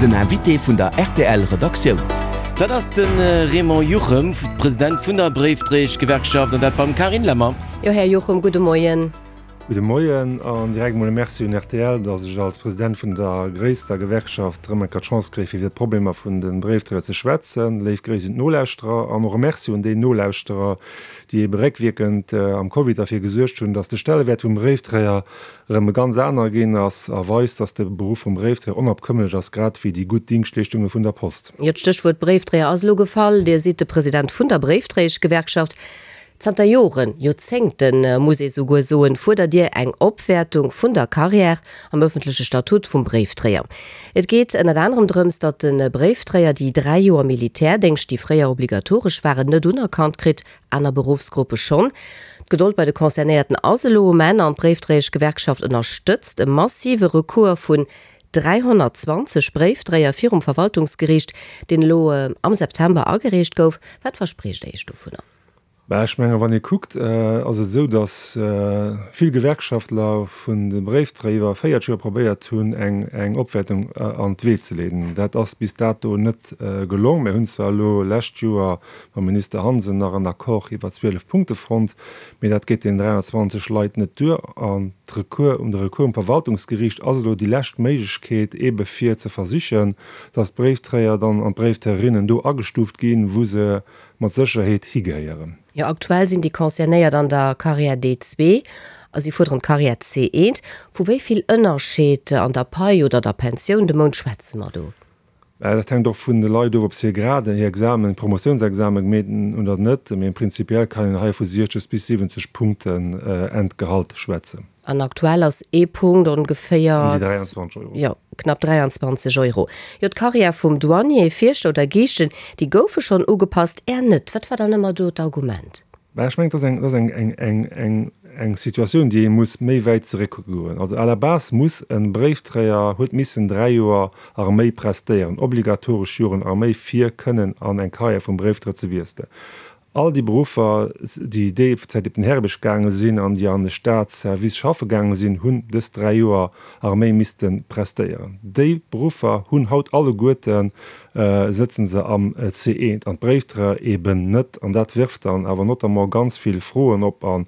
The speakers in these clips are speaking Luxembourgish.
Den Invité vun der rtl Redaktioun. Dat ass de Raymond Juchem, President vun der Bréifdréieschgewerkschaft, an dat beim Carine Lemmer. Jo, Här Juchem, gudde Moien. Gudde Moien an direkt emol e Merci un rtl, datt ech als President vun der gréisster Gewerkschaft erëm eng Kéier d'Chance kréie fir iwwer d'Problemer vun de Bréifdréier ze schwätzen. Léif Gréiss un d'Nolauschterer an och e Merci un déi Nolauschterer, déi ebe réckwierkend am Covid derfir gesuergt hunn, datt de Stellewäert vum Bréifdréier erëm e ganz anere ginn ass a weist, datt de Beruff vum Bréifdréier onabkömmlech ass, grad wéi déi gutt Dingschtleeschtunge vun der Post. Jo, d'Stéchwuert Bréifdréier ass elo gefall. Dir sidd de President vun der Bréifdréieschgewerkschaft. Zanter Joren, Joerzéngten, muss ee souguer soen, fuerdert Dir eng Opwäertung vun der Carrière am ëffentleche Statut vum Bréifdréier. Et geet ënnert anerem drëms, datt de Bréifdréier déi 3 Joer Militärdéngscht, déi fréier obligatoresch waren, net unerkannt kritt, aner Beruffsgruppe schonn. D'Gedold bei de Concernéierten ass elo um Enn an d'Bréifdréieschgewerkschaft ënnerstëtzt e massive Recours vun 320 Bréifdréier virum Verwaltungsgeriicht, deen elo am September agereecht gouf. Wat verspriecht Der Iech dovunner? Bah, ech menge wann ee kuckt, ass et esou, datt vill Gewerkschaftler vun de Bréifdréier iwwer 40 Joer probéiert hunn, eng Opwäertung an d'Wee ze leeden. Dat ass bis dato net gelong. Mir hunn zwar elo lescht Joer mam Minister Hansen nach en Accord iwwer 12 Punkte fonnt, mee dat geet deenen 320 Leit net duer. An d'Recours um de Recours um Verwaltungsgeriicht ass elo déi lescht Méiglechkeet, eebe fir ze versichen, datt d'Bréifdréier dann an d'Bréifdréierinnen do agestuuft ginn, wou se mat Sécherheet higehéieren. Jo, aktuell sinn déi Concernéiert an der Carrière D2 a si fuerderen d'Carrière C1. Vu wéi vill Ënnerscheed an der Pai oder der Pensioun de Mount schwätze mer do? Dat hänkt och vun de Leit of, ob se hir Graden, hir Examen, Promotiounsexamen gemeet hunn oder net. Mee prinzipiell kann een hei vu 60 bis 70 Punkten Entgehalt schwätzen. An aktuell ass ee Punkt ongeféier. Ëm déi 23 Euro. Jo, knapp 23 Euro. Jo, d'Carrière vum Douanier, Fierschter oder Giischtjen, déi goufe schonn ugepasst, Är net. Wat war dann ëmmer do d'Argument? Bah, ech mengen, et ass eng, et ass eng, eng, eng, eng, eng Situatioun, déi ee muss méi wäit zeréckkucke goen. Also à la base muss e Bréiftréier, huet missen 3 Joer Arméi prestéieren, obligatoresch Joren Arméi, fir kënnen an eng Carrière vum Bréiftréier ze wiesselen. All déi Beruffer, déi déi Zäit op den Härebierg gaange sinn an déi an de Staatsservice schaffe gaange sinn, hunn dës 3 Joer Arméi misste prestéieren. Déi Beruffer hunn haut alleguerte sëtzen se am C1 an d'Bréifdréier eben net. An dat wirft dann awer notamment ganz vill Froen op a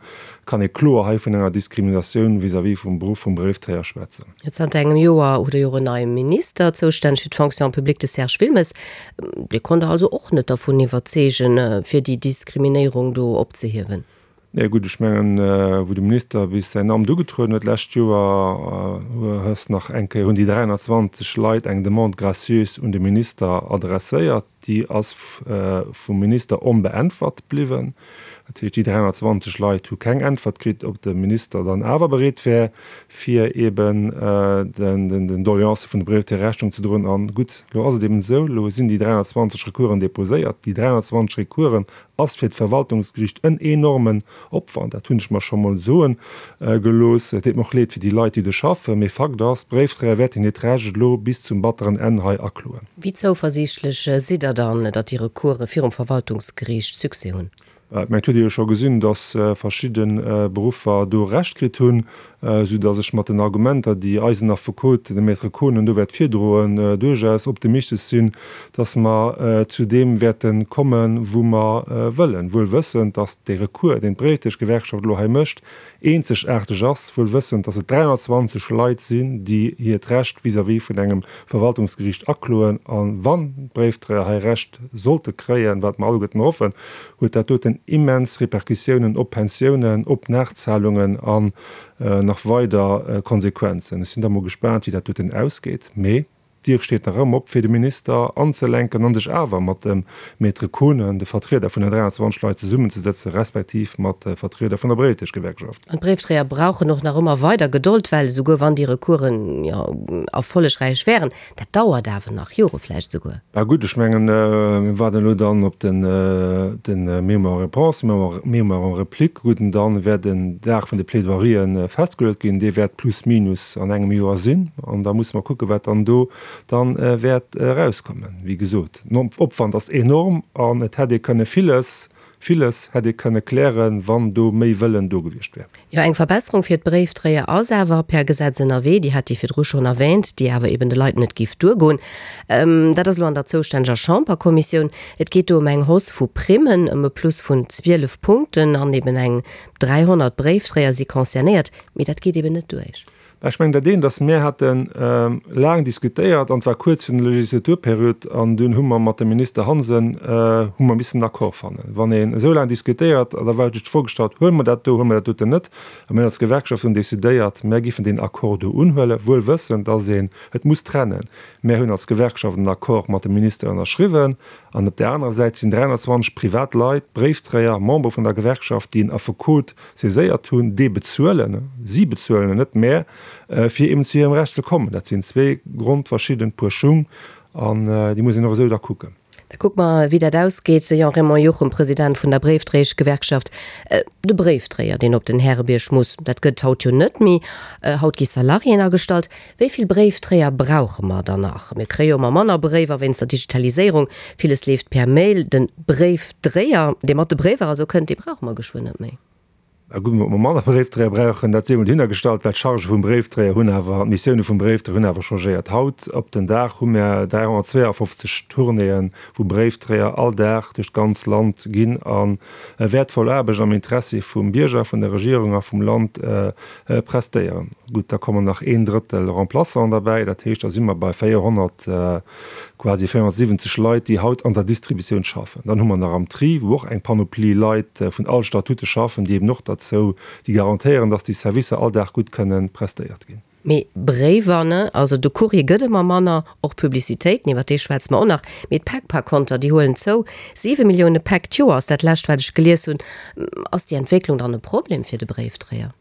kann ee kloer hei vun enger Diskriminatioun vis-à-vis vum Beruff vum Bréifdréier schwätzen. Zanter engem Joer hutt Der jo och en neie Minister, zoustänneg fir d'Fonction publique, de Serge Wilmes. Dee konnt Der also och net dervun iwwerzeegen, fir déi Diskriminéierung do opzehiewen? Nee, gutt, ech mengen, wou de Minister bis säin Amt ugetrueden huet d'lescht Joer, hues nach eng Kéier, hunn déi 320 Leit eng Demande gracieuse un de Minister adresséiert. Déi ass vum Minister onbeäntwert bliwwen. Dat heescht, déi 320 Leit hu keng Äntwert kritt, ob de Minister dann awer bereet wär, fir eben den Doleancë vun de Brevettier Rechnung ze droen. An gutt, elo ass et eben esou, elo sinn déi 320 Recoursen deposéiert. Déi 320 Recoursen ass fir d'Verwaltungsgeriicht en enormen Opwand, dat hunn ech mer scho mol soe gelooss. Et deet mer och leed fir déi Leit, déi do schaffen, mee Fakt ass, d'Bréifdréier wäerten hiert Recht elo bis zum batteren Enn hei akloen. Wéi zouversiichtlech sidd Der dann, datt déi Recourse virum Verwaltungsgeriicht Succès hunn? Ech mengen, et huet ee jo scho gesinn, datt verschidde Beruffer do Recht kritt hunn, soudatt ech mat den Argumenter, déi eisen Affekot, de Maître Kohnen, do wäert virdroen, duerchaus optimistesch sinn, datt mer zu deem wäerte kommen, wou mer wëllen, wuel wëssend, datt dee Recours, deen d'Bréifdréieschgewerkschaft elo hei mécht, eenzegaarteg ass, wuel wëssend, datt et 320 Leit sinn, déi hiert Recht vis-à-vis vun engem Verwaltungsgeriicht akloen. A wann d'Bréifdréier hei Recht sollte kréien, wat mer alleguerten hoffen, huet dat doten immens Repercussiounen op Pensiounen, op Nachzahlungen an nach weider Konsequenzen. Ech sinn da mol gespaant, wéi dat doten ausgeet. Mee d'Dier steet nach ëmmer op, fir de Minister anzelenken an sech awer mat dem Maître Kohnen, de Vertrieder vun den 23 Leit, zesummenzesetzen, respektiv mat de Vertrieder vun der Bréifdréieschgewerkschaft. An d'Bréifdréier brauchen och nach ëmmer weider Gedold, well esouguer wann déi Recoursen, jo, erfollegräich wären, Dat dauert awer nach, Jore vläicht esouguer. Bah gutt, ech mengen, mir waarden elo dann op den Mémoire en réponse, Mémoire en réplique. Gutt, an dann wäert en Dag vun de Plaidoyerien festgeluet ginn. Dee wäert plus minus an engem Joer sinn. An da musse mer kucken, wat dann do dann wäert erauskommen. Wéi gesot, den Opwand ass enorm an et hätt ee kënne villes. Villes hätt ee kënne klären, wann do méi Wëllen do gewiescht wär. Jo, eng Verbesserung fir d'Bréifdréier ass awer per Gesetz ënnerwee, déi hat Dir virdru schonn erwähnt, déi awer eben de Leit net giff duergoen. Dat ass elo an der zoustänneger Chamberkommissioun. Et geet do ëm eng Hausse vu Primmen, ëm e Plus vun 12 Punkten an eben eng 300 Bréifdréier si concernéiert. Mee dat geet eben net duerch. Mä ech mengen, dat eent ass, Mir hate laang diskutéiert an et war kuerz virun der Legislaturperiod an dunn hu mer mat dem Minister Hansen hu mer missen en Accord fannen. Wann een esou laang diskutéiert, da war sech d'Fro gestallt, Huele mer dat do, huele mer dat doten net? A mir hunn als Gewerkschaft dunn decidéiert, mär giffen deen Accord do unhuelen, wuel wëssend, dass een et muss trennen. Mär hunn als Gewerkschaft en Accord mat dem Minister ënnerschriwwen an op där anerer Säit sinn 320 privat Leit, Bréifdréier, Membere vun der Gewerkschaft, déi en Affekot saiséiert hunn, dee bezuelen, si bezuelen en, net mär, fir eben zu hirem Recht ze kommen. Dat sinn zwee grondverschidden Puer Schung an déi muss een och esou da kucken. Da kucke mer, wéi dat ausgeet. Jean-Raymond Juchem, President vun der Bréifdréieschgewerkschaft. De Bréifdréier, deen op den Härebierg muss, dat gëtt haut jo net méi. Haut gi Salariéen agestallt. Wéi vill Bréifdréier brauche mer dann nach? Mir kréie jo ëmmer manner Bréiwer wéinst der Digitaliséierung. Villes leeft per Mail. De Bréifdréier, dee mat de Bréiwer also kënnt, dee brauche mer geschwënn net méi. Na gutt, ob mer manner Bréifdréier brauchen, dat sief emol dohinnergestallt, well d'Chargë vum Bréifdréier hunn awer, d'Missioune vum Bréifdréier hunn awer changéiert. Haut op den Dag hu mer 352 Tournéeën, wou Bréifdréier all Dag duerch d'ganz Land ginn a wäertvoll Aarbecht am Interessi vum Bierger, vun der Regierung a vum Land prestéieren. Gutt, da kommen nach een Drëttel Remplaçanten derbäi, dat heescht, da si mer bei 400, quasi 470 Leit, déi haut an der Distributioun schaffen. Dann hu mer nach am Tri, wou och eng Panoplie Leit vun all Statute schaffen, déi eben och derzou, déi garantéieren, dass déi Servicer all Dag gutt kënnen prestéiert ginn. Mee Bréiwer, ne, also de Courrier gëtt ëmmer manner, och Publicitéiten, iwwer déi schwätze mer och nach, mee d'Päck par konter, déi huelen zou. 7 Millioune Päck d'Joer ass dat lescht, wat ech gelies hunn. Ass déi Entwécklung dann e Problem fir de Bréifdréier?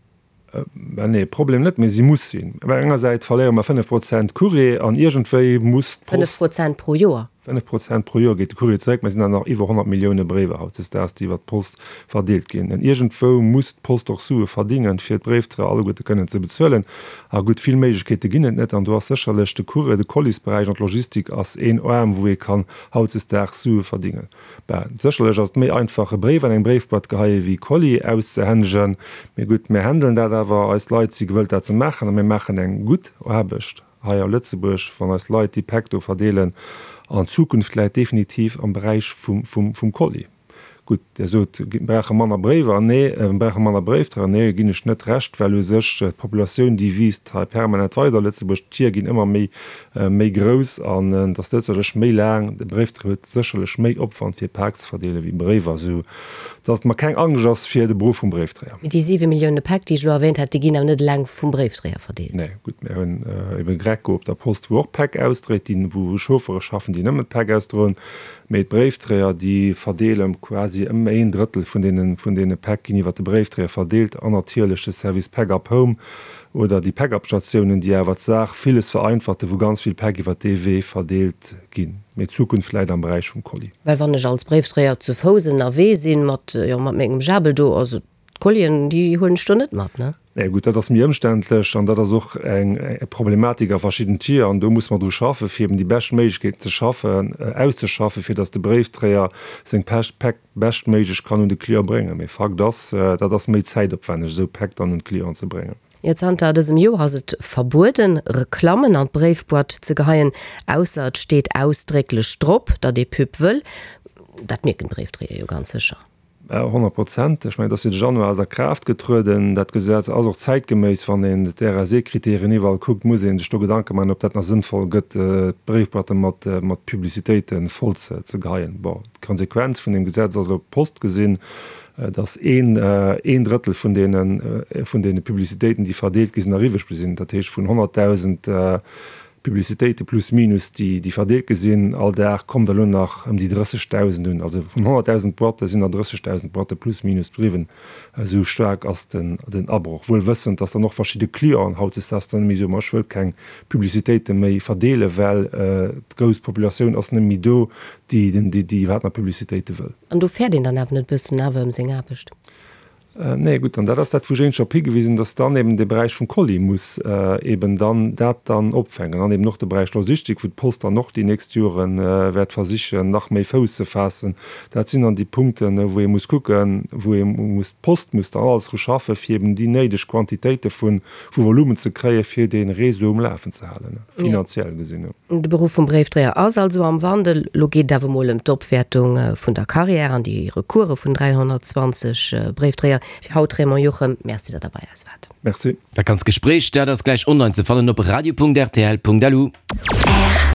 Ben nee, Problem net, mee si muss sinn. Op enger Säit verléiere mer 5 Prozent Courrier an iergendwéi muss d'Post. 5 Prozent pro Joer? 5 Prozent pro Joer geet de Courrier zeréck. Mer sinn awer nach iwwer 100 Millioune Bréiwer hautdesdaags, déi iwwer d'Post verdeelt ginn. An iergendwou muss d'Post och Sue verdingen, fir d'Bréifdréier alleguerte kënnen ze bezuelen. A gutt, vill Méiglechkeete ginn et net. An do ass sécherlech de Courrier, de Colisberäich an d'Logistik ass een Aarm, wou ee kann hautdesdaags Sue verdingen. Ben, sécherlech ass et méi einfach e Bréif an eng Bréifboîte geheie wéi Colis auszehännegen. Mee gutt, mir händelen dat awer, eis Leit si gewëllt dat ze maachen a mir maachen eng gutt Aarbecht hei a Lëtzebuerg, wann eis Leit déi Päck do verdeelen. An d'Zukunft läit definitiv am Beräich vum Colis. Gutt, Dir sot, mir brauche manner Bréiwer. Nee, mir brauche manner Bréifdréier. Nee, ginn ech net Recht, well u sech d'Populatioun, déi wiisst hei permanent weider a Lëtzebuerg. D'Tier ginn ëmmer méi méi grouss an et ass sécherlech méi laang. De Bréifdréier huet sécherlech méi Opwand fir Pak ze verdeelen wéi Bréiwer, esou dass et mer keng Angscht ass fir de Beruff vum Bréifdréier. Mee déi 7 Millioune Päck, déi ech elo erwähnt hat, déi ginn awer net eleng vum Bréifdréier verdeelt. Nee, gutt, mir hunn ebe Greco op der Post, wou och Päck ausdréit, déi wou Chauffere schaffen, déi nëmmen d'Päck ausdroen. Mee d'Bréifdréier, déi verdeele quasi ëm een Drëttel vun deene vun deene Päck ginn iwwer de Bréifdréier verdeelt an natierlech de Service Pack up Home, Oder déi Päckabstatiounen, déi awer d'Saach villes vereinfachen, wou ganz vill Päck iwwer dee Wee verdeelt ginn. Mee d'Zukunft läit am Beräich vum Colis. Well wann ech als Bréifdréier zu Fouss ënnerwee sinn, mat, jo, mat mengem Jabel do, also d'Collien, déi huelen ech do net mat, ne? Nee, gutt, dat ass méi ëmständlech an dat ass och eng Problematik a verschidden Tier an do muss mer dru schaffen, fir eben déi bescht Méiglechkeeten ze schaffen, auszeschaffen, fir datt de Bréifdréier seng Päck beschtméiglech kann un de Client bréngen. Mee Fakt ass, dat ass méi zäitopwänneg, esou Päck dann un d'Clienten ze bréngen. Jo, zanter dësem Joer ass et verbueden, Reklammen an d'Bréifboîte ze geheien, ausser et steet ausdrécklech drop, datt ee Pub wëll. Dat mierken d'Bréifdréier jo ganz sécher. 100 Prozent. Ech mengen, et ass jo de Januar ass a Kraaft getrueden. Dat Gesetz ass och zäitgeméiss. Wann een d'RSE-Kriterien iwwerall kuckt, muss ee sech do Gedanke maachen, ob dat nach sënnvoll gëtt, d'Bréifboîte mat Publicitéite voll ze geheien. Bon. D'Konsequenz vun deem Gesetz ass op d'Post gesinn, datt een een Drëttel vun deene vun deene Publicitéiten, déi verdeelt gi sinn, eriwwesch bliww sinn. Dat heescht, vun 100.000 Publicitéite plus minus, déi déi verdeelt gi sinn all Dag, kommt der elo nach ëm déi 30.000 un. Also vun 100.000 Boîtte sinn der 30.000 Boîtte plus minus bliwwen. Esou staark ass den den Abroch. Wuel wëssend, datt dann och verschidde Clienten hautdesdaags dann net méi soen, ma ech wëll keng Publicitéite méi verdeelen, well d'grouss Populatioun ass net méi do, déi déi iwwerhaapt nach Publicitéite wëll. An do fäert een dann awer net e bëssen awer ëm seng Aarbecht? Nee, gutt, an dat ass dat, wou ech éinescht drop higewisen, dass dann eben de Beräich vum Colis muss eben dann dat dann opfänken an eben och de Beräich Logistik, wou d'Post dann och déi nächst Jore wäert versichen, nach méi Fouss ze faassen. Dat sinn dann déi Punkten, wou ee muss kucken, wou ee muss, d'Post muss dann alles dru schaffen, fir eben déi néideg Quantitéite vu Volumen ze kréien, fir dee Réseau um Lafen ze halen, finanziell gesinn. De Beruff vum Bréifdréier ass also am Wandel. Lo geet et awer mol ëm d'Opwäertung vun der Carrière an déi Recourse vun 320 Bréifdréier. Fir haut Raymond Juchem, Merci, datt Der bei eis waart. Merci. Dat ganzt Gespréich, dat ass gläich online ze fannen op radio.rtl.lu.